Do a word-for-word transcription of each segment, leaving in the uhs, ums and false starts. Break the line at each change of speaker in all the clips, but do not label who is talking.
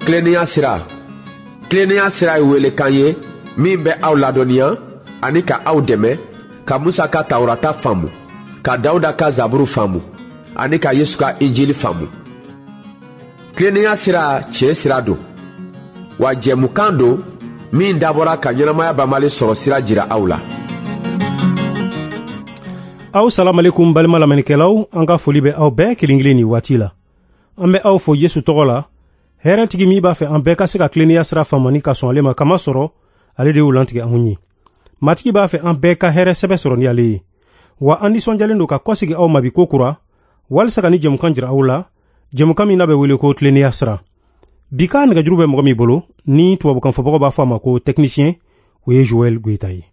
Tilennenya sira. Tilennenya sira ye welekan ye min bɛ aw ladɔnniya ani ka aw dɛmɛ ka Musa ka Tawurata faamu, ka Dawuda ka Zaburu faamu ani ka Yesu ka Injili faamu. Tilennenya sira tiɲɛ sira don, wa jɛmukan don min dabɔra ka ɲɛnamaya banbali sɔrɔ sira jira aw la.
Aw salamalekum balima lamɛnnikɛlaw, an ka foli bɛ aw bɛɛ kelen kelen nin waati la. An bɛ aw fo Yesu tɔgɔ la, hɛrɛtigi min b'a fɛ an bɛɛ ka se ka tilennenya sira faamu ni ka sɔn ale ma, kama sɔrɔ ale de y'o lantigɛ anw ye. Matigi b'a fɛ an bɛɛ ka hɛrɛ sɛbɛ sɔrɔ ni ale ye. Wa an nisɔndiyalen don ka kɔsegi aw ma bi ko kura, walisa ka ni jɛmukan jira aw la, jɛmukan min n'a bɛ wele ko tilennenya sira. Bi ka nɛgɛjuru bɛ mɔgɔ min bolo, ni tubabukanfɔbagaw b'a fɔ a ma ko technicien, o ye Joël Goïta ye.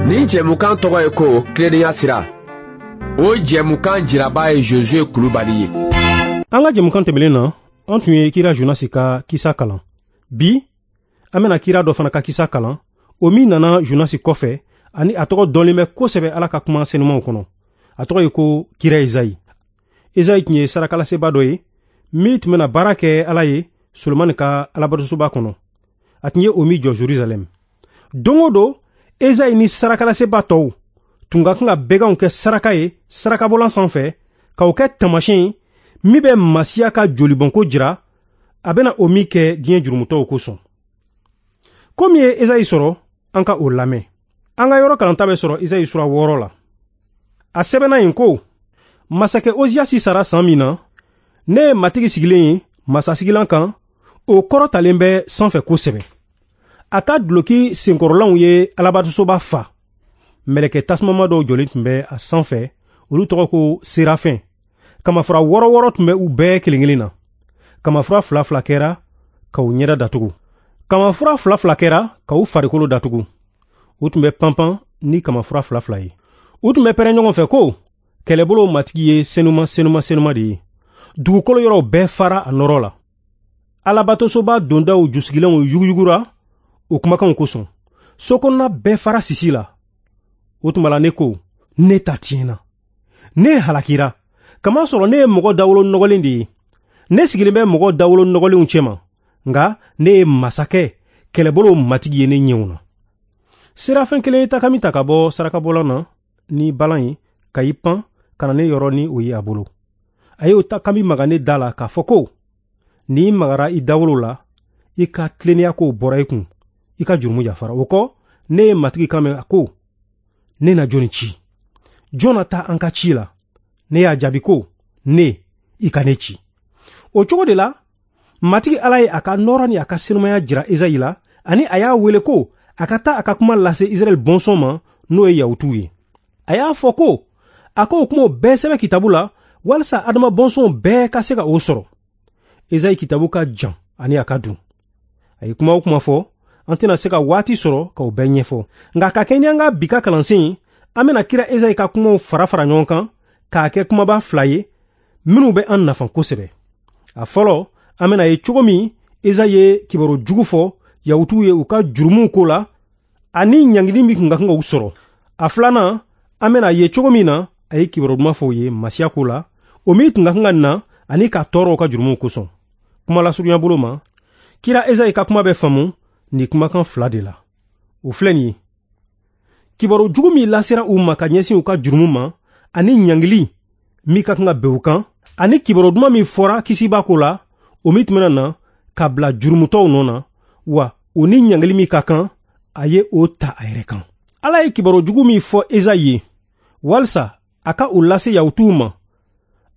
Nin jɛmukan tɔgɔ ye ko tilennenya sira. O jɛmukan jiraba ye Josué Kulubali ye.
An ka jɛmukan tɛmɛnen na, an tun ye kira Jonasi ka kisa kalan. Bi, an bɛna kira dɔ fana ka kisa kalan, o min nana Jonasi kɔfɛ, ani a tɔgɔ dɔnlen bɛ kosɛbɛ Ala ka kuma senumanw kɔnɔ. A tɔgɔ ye ko kira Ezayi. Ezayi tun ye sarakalaseba dɔ ye, min tun bɛna baara kɛ Ala ye Solomani ka alabatosoba kɔnɔ. A tun ye o min jɔ Jerusalɛm. Don o don, Ezayi ni sarakalaseba tɔw tun ka kan ka bɛganw kɛ saraka ye sarakabɔlan sanfɛ, k'o kɛ taamasiyɛn ye min bɛ Masiya ka jolibɔnko jira, a bɛna o min kɛ diɲɛ jurumutɔw kosɔn. Ko min ye Ezayi sɔrɔ, an ka o lamɛn. An ka yɔrɔ kalanta bɛ sɔrɔ Ezayi sura wɔɔrɔ la. A sɛbɛnna yen ko, masakɛ Oziyasi sara san min na, ne ye Matigi sigilen ye masasigilan kan, o kɔrɔtalen bɛ sanfɛ kosɛbɛ. A ka duloki senkɔrɔlanw ye alabatosoba fa. Mɛlɛkɛ tasumama dɔw jɔlen tun bɛ a sanfɛ, olu tɔgɔ ko serafɛn. Kamafura wɔɔrɔ wɔɔrɔ tun bɛ u bɛɛ kelen kelen na. Kamafura fila fila kɛra k'u ɲɛda datugu. Kamafura fila fila kɛra k'u farikolo datugu. U tun bɛ panpan ni kamafura fila fila ye. U tun bɛ pɛrɛn ɲɔgɔn fɛ ko, kɛlɛbolo Matigi ye senuma senuma senuma de ye. Dugukolo yɔrɔw bɛɛ fara a nɔrɔ la. Alabatosoba dondaw jusigilanw yuguyugura o kumakanw kosɔn. So kɔnɔna bɛɛ fara sisi la. O tuma la ne ko, ne ta tiɲɛna. Ne halakira, kamasɔrɔ ne ye mɔgɔ dawolo nɔgɔlen de ye. Ne sigilen bɛ mɔgɔ dawolo nɔgɔlenw cɛma, nka ne ye masakɛ kɛlɛbolo Matigi ye ne ɲɛw na. Serafɛn kelen ye takami ta ka bɔ sarakabɔlan na ni balan ye, ka i pan ka na ne yɔrɔ ni o ye a bolo. A ye o takami maga ne da la k'a fɔ ko, n'i magara i dawolo la, i ka tilennenya kow bɔra i kun, i ka jurumu yafara. O kɔ, ne ye Matigi kan mɛn a ko, ne na jɔnni ci? Jɔn na taa an ka ci la? Ne y'a jaabi ko, ne, i ka ne ci. O cogo de la, Matigi Ala ye a ka nɔɔrɔ ni a ka senumaya jira Ezayi la, ani a y'a wele ko a ka taa a ka kuma lase Israɛl bɔnsɔn ma, n'o ye Yahutuw ye. A y'a fɔ ko, a k'o kumaw bɛɛ sɛbɛn kitabu la, walisa Adama bɔnsɔnw bɛɛ ka se ka o sɔrɔ. Ezayi kitabu ka jan ani a ka dun. A ye kuma o kuma fɔ, an tɛna se ka waati sɔrɔ k'o bɛɛ ɲɛfɔ. Nka ka kɛ ni an ka bi ka kalansen ye, an bɛna kira Ezayi ka kumaw fara fara ɲɔgɔn kan k'a kɛ kumaba fila ye minnu bɛ an nafa kosɛbɛ. A fɔlɔ, an bɛna ye cogo min Ezayi ye kibaru jugu fɔ Yahutuw ye u ka jurumuw ko la ani ɲangili min tun ka kan k'u sɔrɔ. A filanan, an bɛna ye cogo min na a ye kibaru duman fɔ u ye Masiya ko la, o min tun ka kan ka na ani ka tɔɔrɔ u ka jurumuw kosɔn. Kuma lasurunya bolo ma, kira Ezayi ka kuma bɛ faamu nin kumakan fila de la. O filɛ nin ye: kibaru jugu min lasera u ma ka ɲɛsin u ka jurumu ma ani ɲangili min ka kan ka bɛn u kan, ani kibaru duman min fɔra kisiba ko la, o min tun bɛna na ka bila jurumutɔw nɔ na, wa o ni ɲangili min ka kan, a ye o ta a yɛrɛ kan. Ala ye kibaru jugu min fɔ Ezayi ye, walisa a ka o lase Yahutuw ma,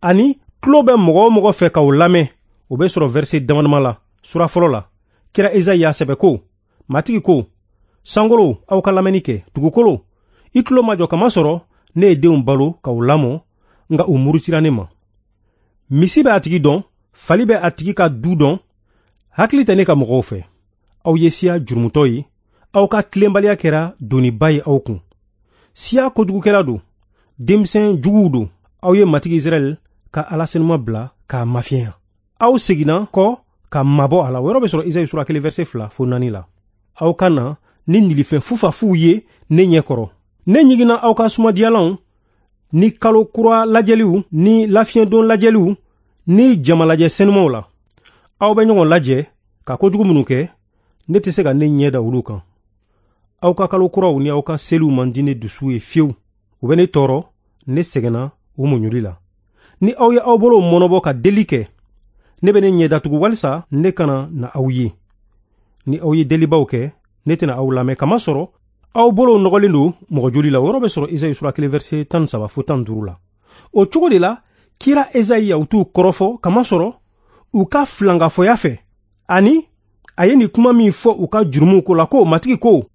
ani tulo bɛ mɔgɔ o mɔgɔ fɛ k'o lamɛn, o bɛ sɔrɔ verset damadama la, sura fɔlɔ la. Kira Ezayi y'a sɛbɛ ko, Matigi ko, sankolo, aw ka lamɛnni kɛ, dugukolo, i tulo ma jɔ kamasɔrɔ ne ye denw balo k'u lamɔ, nka u murutira ne ma. Misi bɛ a tigi dɔn, fali bɛ a tigi ka du dɔn, hakili tɛ ne ka mɔgɔw fɛ. Aw ye siya jurumutɔ ye, aw ka tilenbaliya kɛra doniba ye aw kun. Siya kojugukɛla don, denmisɛn juguw don. Aw ye Matigi Israɛl ka Ala senuma bila k'a mafiɲɛya. Aw seginna kɔ ka mabɔ a la. O yɔrɔ bɛ sɔrɔ Ezayi sura kelen verset fila fo naani la. Aw ka na ni nilifɛn fufafuw ye ne ɲɛ kɔrɔ. Ne ɲiginna aw ka sumadiyalanw ni kalo kura lajɛliw ni lafiɲɛdon lajɛliw ni jamalajɛ senumaw la aw bɛ ɲɔgɔn lajɛ ka kojugu minnu kɛ, ne tɛ se ka ne ɲɛ da olu kan. Aw ka kalo kuraw ni aw ka seliw man di ne dusu ye fiyewu. U bɛ ne tɔɔrɔ, ne sɛgɛnna u muɲuli la. Ni aw ye aw bolow mɔnɔbɔ ka deli kɛ, ne bɛ ne ɲɛ datugu walisa ne kana na aw ye. Ni aw ye delibaw kɛ, ne tɛna aw lamɛn, kamasɔrɔ aw bolow nɔgɔlen don mɔgɔ joli la. O yɔrɔ bɛ sɔrɔ Esayi sura kelen verset tan ni saba fo tan ni duuru la. O cogo de la, kira Esayi Yahutuw kɔrɔfɔ, kamasɔrɔ u ka filankafɔya fɛ, ani a ye nin kuma min fɔ u ka jurumuw ko la ko: Matigi ko,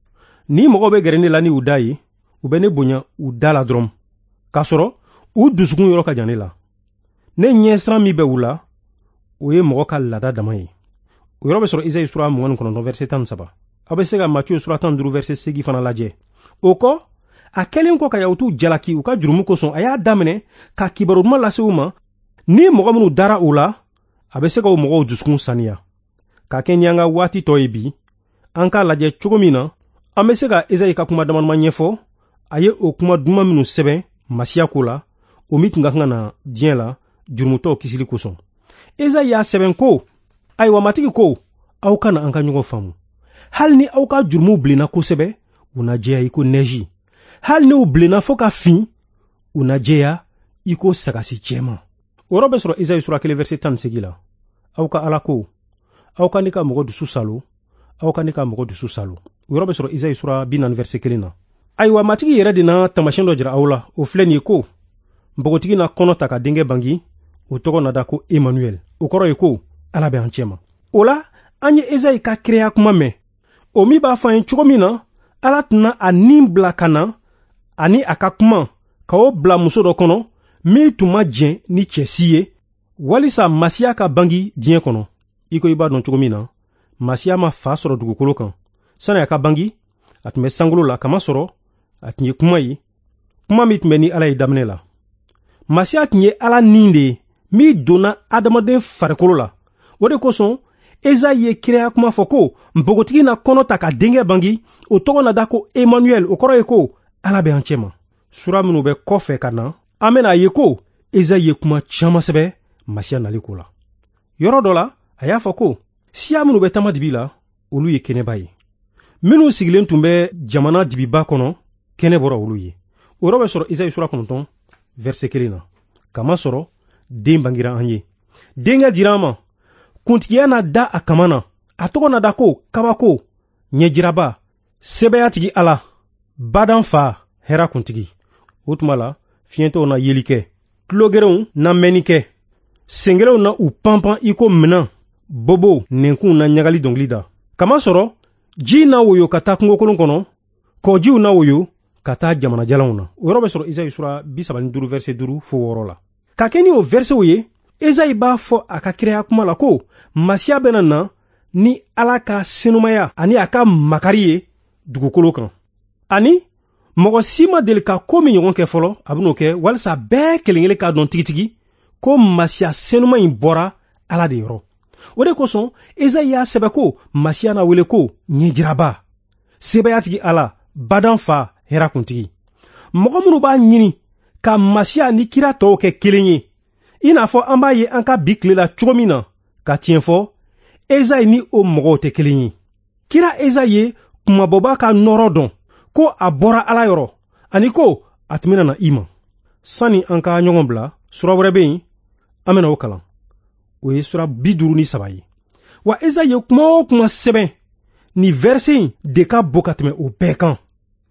ni mɔgɔw bɛ gɛrɛ ne la ni u da ye, u bɛ ne bonya u da la dɔrɔn, k'a sɔrɔ u dusukun yɔrɔ ka jan ne la. Ne ɲɛsiran min bɛ u la, o ye mɔgɔ ka laada dama ye. O yɔrɔ bɛ sɔrɔ Esayi sura mugan ni kɔnɔntɔn verset tan ni saba. Aw bɛ se ka Matiyu sura tan ni duuru verset seegin fana lajɛ. O kɔ, a kɛlen kɔ ka Yahutuw jalaki u ka jurumu kosɔn, a y'a daminɛ ka kibaru duman lase u ma. Ni mɔgɔ minnu dara u la, a bɛ se ka o mɔgɔw dusukun saniya. Ka kɛ ni an ka waati tɔ ye bi, an k'a lajɛ cogo min na an bɛ se ka Esayi ka kuma damadama ɲɛfɔ. A ye o kuma duman minnu sɛbɛn Masiya ko la, o min tun ka kan ka na diɲɛ la jurumutɔw kisili kosɔn. Esayi y'a sɛbɛn ko: ayiwa Matigi ko, aw kana an ka ɲɔgɔn faamu. Hali ni aw ka jurumuw bilenna kosɛbɛ, u na jɛya i ko nɛji. Hali ni u bilenna fo ka fin, u na jɛya i ko sagasi jɛman. O yɔrɔ bɛ sɔrɔ Esayi sura kelen verset tan ni seegin la. Aw ka Ala ko, aw ka ne ka mɔgɔ dusu salo, aw ka ne ka mɔgɔ dusu salo. O yɔrɔ bɛ sɔrɔ Esayi sura bi naani verset kelen na. Ayiwa Matigi yɛrɛ de na taamasiyɛn dɔ jira aw la, o filɛ nin ye ko: npogotigi na kɔnɔ ta ka denkɛ bangi, o tɔgɔ na da ko Emmanuel. O kɔrɔ ye ko Ala bɛ an cɛma. O la, an ye Esayi ka kiraya kuma mɛn, o min b'a fɔ an ye cogo min na Ala tɛna a nin bila ka na ani a ka kuma ka o bila muso dɔ kɔnɔ min tun ma jɛn ni cɛ si ye, walisa Masiya ka bangi diɲɛ kɔnɔ. I ko i b'a dɔn cogo min na, Masiya ma fa sɔrɔ dugukolo kan. Sani a ka bangi, a tun bɛ sankolo la, kamasɔrɔ a tun ye kuma ye, kuma min tun bɛ ni Ala ye daminɛ la. Masiya tun ye Ala nin de ye min donna adamaden farikolo la. O de kosɔn Esayi ye kiraya kuma fɔ ko npogotigi na kɔnɔ ta ka denkɛ bangi, o tɔgɔ na da ko Emmanuel. O kɔrɔ ye ko Ala bɛ an cɛma. Sura minnu bɛ kɔfɛ ka na, an bɛna a ye ko Esayi ye kuma caman sɛbɛn Masiya nali ko la. Yɔrɔ dɔ la, a y'a fɔ ko siya minnu bɛ taama dibi la, olu ye kɛnɛba ye. Minnu sigilen tun bɛ jamana dibiba kɔnɔ, kɛnɛ bɔra olu ye. O yɔrɔ bɛ sɔrɔ Esayi sura kɔnɔntɔn verset kelen na. Kamasɔrɔ den bangira an ye, denkɛ dira an ma, kuntigiya na da a kama na, a tɔgɔ na da ko kabako, ɲɛjiraba, sɛbɛyatigi Ala, badan fa, hɛrɛ kuntigi. O tuma la, fiɲɛtɔw na yeli kɛ, tulogerenw na mɛnni kɛ, sengelenw na u panpan i ko minan, bobow nɛnkunw na ɲagali dɔnkili da. Kamasɔrɔ ji na woyo ka taa kungokolon kɔnɔ, kɔjiw na woyo ka taa jamana jalanw na. O yɔrɔ bɛ sɔrɔ Esayi sura bi saba ni duuru verset duuru fo wɔɔrɔ la. Ka kɛ ni o versetw ye, Esayi b'a fɔ a ka kiraya kuma la ko Masiya bɛna na ni Ala ka senumaya ani a ka makari ye dugukolo kan. Ani mɔgɔ si ma deli ka ko min ɲɔgɔn kɛ fɔlɔ, a bɛn'o kɛ walisa bɛɛ kelen-kelen k'a dɔn tigitigi ko Masiya senuma in bɔra Ala de yɔrɔ. O de kosɔn Esayi y'a sɛbɛn ko Masiya na wele ko ɲɛjiraba, sebayatigi Ala, badan fa, hɛrɛ kuntigi. Mɔgɔ minnu b'a ɲini ka Masiya ni kira tɔw kɛ kelen ye, i n'a fɔ an b'a ye an ka bi tile la cogo min na, ka tiɲɛ fɔ, Esayi ni o mɔgɔw tɛ kelen ye. Kira Esayi ye kumabɔba ka nɔrɔ dɔn ko a bɔra Ala yɔrɔ, ani ko a tun bɛna na i ma. Sani an ka ɲɔgɔn bila, sura wɛrɛ bɛ yen, an bɛna o kalan. O ye sura bi duuru ni saba ye. Wa Esayi ye kuma o kuma sɛbɛn, nin verset in de ka bon ka tɛmɛ o bɛɛ kan.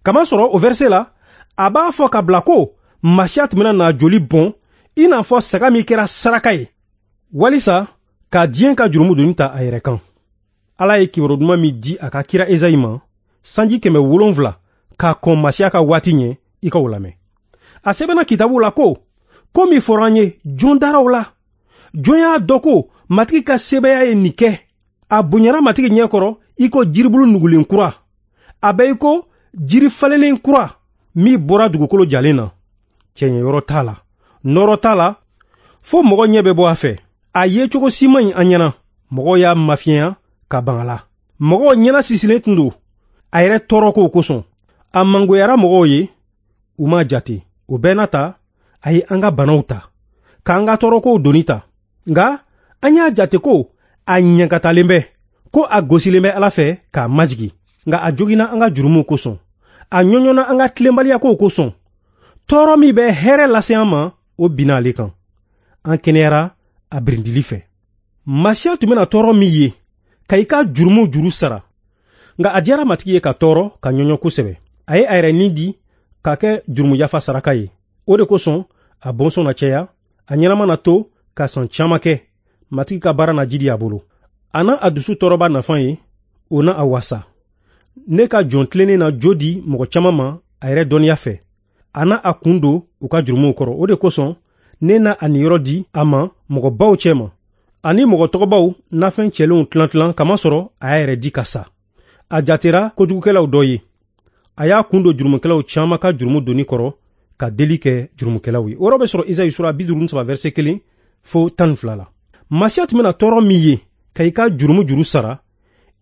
Kamasɔrɔ o verset la, a b'a fɔ ka bila ko Masiya tun bɛna na joli bɔn i n'a fɔ saga min kɛra saraka ye, walisa ka diɲɛ ka jurumu doni ta a yɛrɛ kan. Ala ye kibaru duman min di a ka kira Esayi ma sanji kɛmɛ wolonfila k'a kɔn Masiya ka waati ɲɛ, i ka o lamɛn. A sɛbɛnna kitabu la ko ko min fɔra an ye, jɔn dara o la? Jɔn y'a dɔn ko Matigi ka sebaaya ye nin kɛ? A bonyara Matigi ɲɛ kɔrɔ i ko jiribulu nugulen kura, a bɛ i ko jiri falennen kura min bɔra dugukolo jalen na. Cɛɲɛ yɔrɔ t'a la, nɔrɔ t'a la, fo mɔgɔ ɲɛ bɛ bɔ a fɛ. A ye cogo si man ɲi an ɲɛna. Mɔgɔw y'a mafiɲɛya ka ban a la. Mɔgɔw ɲɛna sisilen tun don a yɛrɛ tɔɔrɔ kow kosɔn. A mangoyara mɔgɔw ye, u m'a jate. O bɛɛ n'a ta, a ye an ka banaw ta, k'an ka tɔɔrɔkow doni ta. Nka an y'a jate ko a ɲankatalen bɛ, ko a gosilen bɛ Ala fɛ k'a majigi. Nka a joginna an ka jurumuw kosɔn, a ɲɔɲɔna an ka tilenbaliyakow kosɔn. Tɔɔrɔ min bɛ hɛrɛ lase an ma, o binna ale kan. An kɛnɛyara a birindili fɛ. Masiya tun bɛna tɔɔrɔ min ye ka i ka jurumu juru sara. Nka a diyara Matigi ye ka tɔɔrɔ ka ɲɔɲɔ kosɛbɛ. A ye a yɛrɛ ni di k'a kɛ jurumu yafa saraka ye. O de kosɔn a bɔnsɔn na caya, a ɲɛnama na to ka san caman kɛ. Matigi ka baara na jidi a bolo. A na a dusu tɔɔrɔba nafa ye, o na a wasa. Ne ka jɔn tilennen na jo di mɔgɔ caman ma a yɛrɛ dɔnniya fɛ. A na a kun don u ka jurumuw kɔrɔ. O de kosɔn ne na a niyɔrɔ di a ma mɔgɔbaw cɛma, ani mɔgɔ tɔgɔbaw nafɛn cɛlenw tilan tilan, kamasɔrɔ a y'a yɛrɛ di ka sa. A jatera kojugukɛlaw dɔ ye. A y'a kun don jurumukɛlaw caman ka jurumu doni kɔrɔ ka deli kɛ jurumukɛlaw ye. O yɔrɔ bɛ sɔrɔ Izayi sura bi duuru ni saba verset kelen fo tan ni fila la. Masiya tun bɛna tɔɔrɔ min ye ka i ka jurumu juru sara,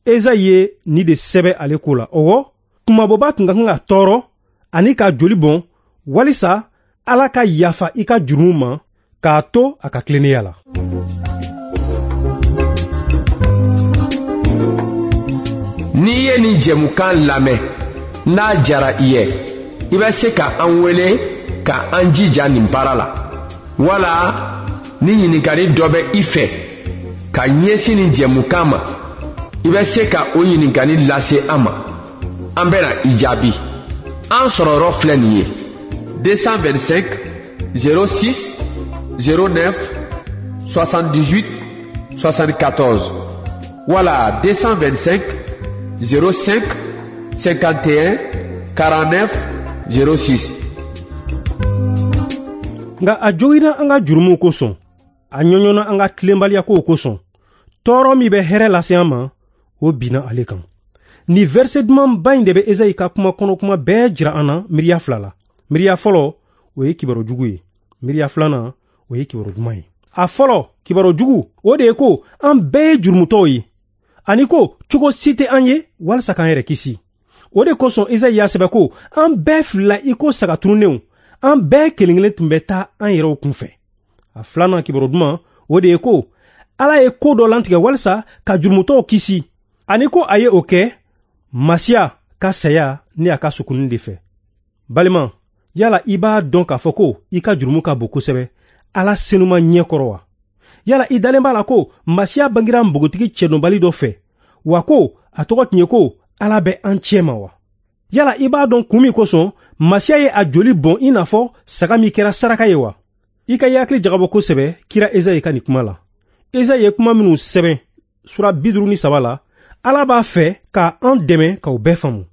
Ezayi ye nin de sɛbɛ ale ko la. Ɔwɔ, kunmabɔba tun ka kan ka tɔɔrɔ ani ka joli bɔn walisa Ala ka yafa i ka jurumu ma k'a to a ka tilennenya la.
N'i ye nin jɛmukan lamɛn, n'a diyara i ye, i bɛ se ka an wele ka an jija nin baara la. Wala ni ɲininkali dɔ bɛ i fɛ ka ɲɛsin nin jɛmukan ma, i bɛ se ka o ɲininkali lase an ma. An bɛna i jaabi. An sɔrɔyɔrɔ filɛ nin ye: deux cent vingt-cinq zéro six zéro neuf soixante-dix-huit soixante-quatorze wala deux cent vingt-cinq zéro cinq cinquante et un quarante-neuf zéro six.
Nka a joginna an ka jurumuw kosɔn, a ɲɔɲɔna an ka tilenbaliyakow kosɔn. Tɔɔrɔ min bɛ hɛrɛ lase an ma, o binna ale kan. Nin verset dumanba in de bɛ Ezayi ka kuma kɔnɔ kuma bɛɛ jira an na miiriya fila la. Miiriya fɔlɔ, o ye kibaru jugu ye. Miiriya filanan, o ye kibaru duman ye. A fɔlɔ, kibaru jugu, o de ye ko an bɛɛ ye jurumutɔw ye, ani ko cogo si tɛ an ye walisa k'an yɛrɛ kisi. O de kosɔn Ezayi y'a sɛbɛn ko an bɛɛ filila i ko saga tununnenw, an bɛɛ kelen kelen tun bɛ taa an yɛrɛw kunfɛ. A filanan kibaru duman, o de ye ko Ala ye ko dɔ lantigɛ walisa ka jurumutɔw kisi, ani ko a ye o kɛ Masiya ka saya ni a ka sukunni de fɛ. Balima, yala i b'a dɔn k'a fɔ ko i ka jurumu ka bon kosɛbɛ Ala senuma ɲɛ kɔrɔ wa? Yala i dalen b'a la ko Masiya bangira npogotigi cɛdɔnbali dɔ fɛ, wa ko a tɔgɔ tun ye ko Ala bɛ an cɛ ma wa? Yala i b'a dɔn kun min kosɔn Masiya ye a joli bɔn i n'a fɔ saga min kɛra saraka ye wa? I ka i hakili jagabɔ kosɛbɛ kira Ezayi ka nin kuma la. Ezayi ye kuma minnu sɛbɛn sura bi duuru ni saba la, Ala b'a fɛ ka an dɛmɛ k'aw bɛɛ faamu.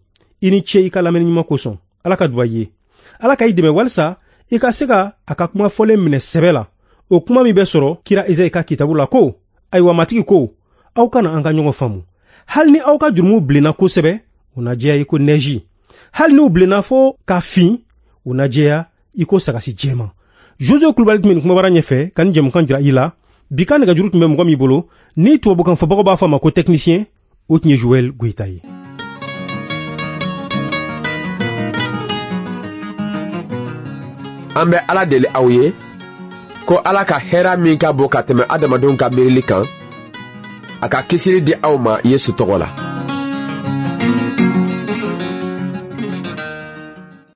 I ni ce i ka lamɛnni ɲuman kosɔn. Ala ka duba i ye. Ala ka i dɛmɛ walisa i ka se ka a ka kuma fɔlen minɛ sɛbɛ la. O kuma min bɛ sɔrɔ kira Ezayi ka kitabu la ko, ayiwa Matigi ko, aw kana an ka ɲɔgɔn faamu. Hali ni aw ka jurumuw bilenna kosɛbɛ, u na jɛya i ko nɛji. Hali n'u bilenna fo ka fin, u na jɛya i ko sagasi jɛman. Jose Kulubali tun bɛ nin kumabara ɲɛfɛ ka nin jɛmukan jira i la. Bi ka nɛgɛjuru tun bɛ mɔgɔ min bolo, ni tubabukan fɔbagaw b'a fɔ a ma ko technicien, o tun ye Joël Goyita ye.
An bɛ Ala deli aw ye ko Ala ka hɛrɛ min ka bon ka tɛmɛ adamadenw ka miirili kan, a ka kisili di aw ma Yesu tɔgɔ la.